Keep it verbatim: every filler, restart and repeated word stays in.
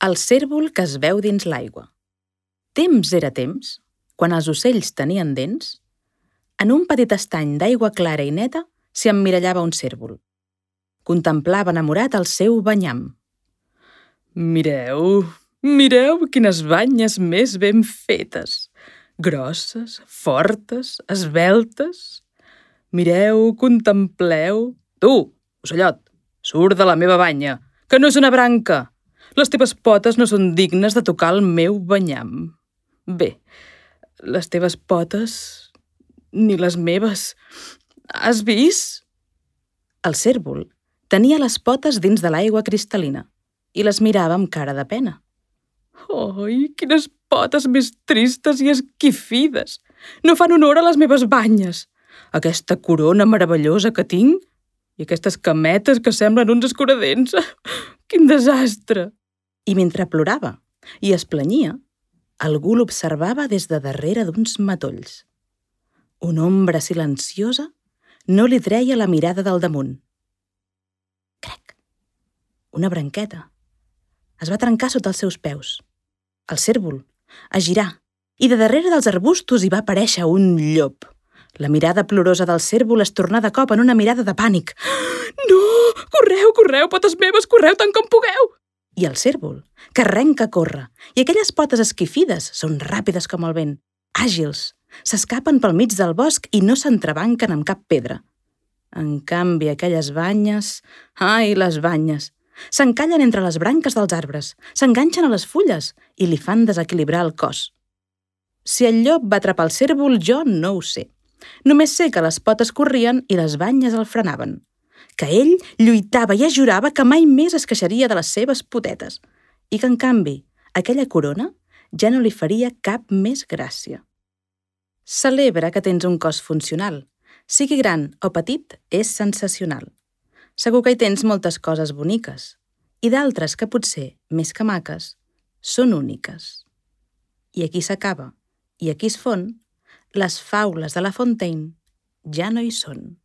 El cérvol que es veu dins l'aigua. Temps era temps, quan els ocells tenien dents, en un petit estany d'aigua clara i neta s'hi emmirallava un cérvol. Contemplava enamorat el seu banyam. Mireu, mireu quines banyes més ben fetes, grosses, fortes, esveltes. Mireu, contempleu... Tu, ocellot, surt de la meva banya, que no és una branca. Les teves potes no són dignes de tocar el meu banyam. Bé, les teves potes, ni les meves. Has vist? El cérvol tenia les potes dins de l'aigua cristal·lina i les mirava amb cara de pena. Ai, quines potes més tristes i esquifides! No fan honor a les meves banyes. Aquesta corona meravellosa que tinc i aquestes cametes que semblen uns escuradents. Quin desastre! I mentre plorava i es planyia, algú l'observava des de darrere d'uns matolls. Una ombra silenciosa no li treia la mirada del damunt. Crec! Una branqueta. Es va trencar sota els seus peus. El cérvol es girà i de darrere dels arbustos hi va aparèixer un llop. La mirada plorosa del cérvol es tornà de cop en una mirada de pànic. No! Correu, correu, potes meves, correu tant com pugueu! I el cérvol, que arrenca a córrer, i aquelles potes esquifides són ràpides com el vent, àgils, s'escapen pel mig del bosc i no s'entrebanquen amb cap pedra. En canvi, aquelles banyes... Ai, les banyes! S'encallen entre les branques dels arbres, s'enganxen a les fulles i li fan desequilibrar el cos. Si el llop va atrapar el cérvol, jo no ho sé. Només sé que les potes corrien i les banyes el frenaven, que ell lluitava i es jurava que mai més es queixaria de les seves potetes i que, en canvi, aquella corona ja no li faria cap més gràcia. Celebra que tens un cos funcional. Sigui gran o petit, és sensacional. Segur que hi tens moltes coses boniques i d'altres que potser, més que maques, són úniques. I aquí s'acaba, i aquí es fon, les faules de La Fontaine ja no hi són.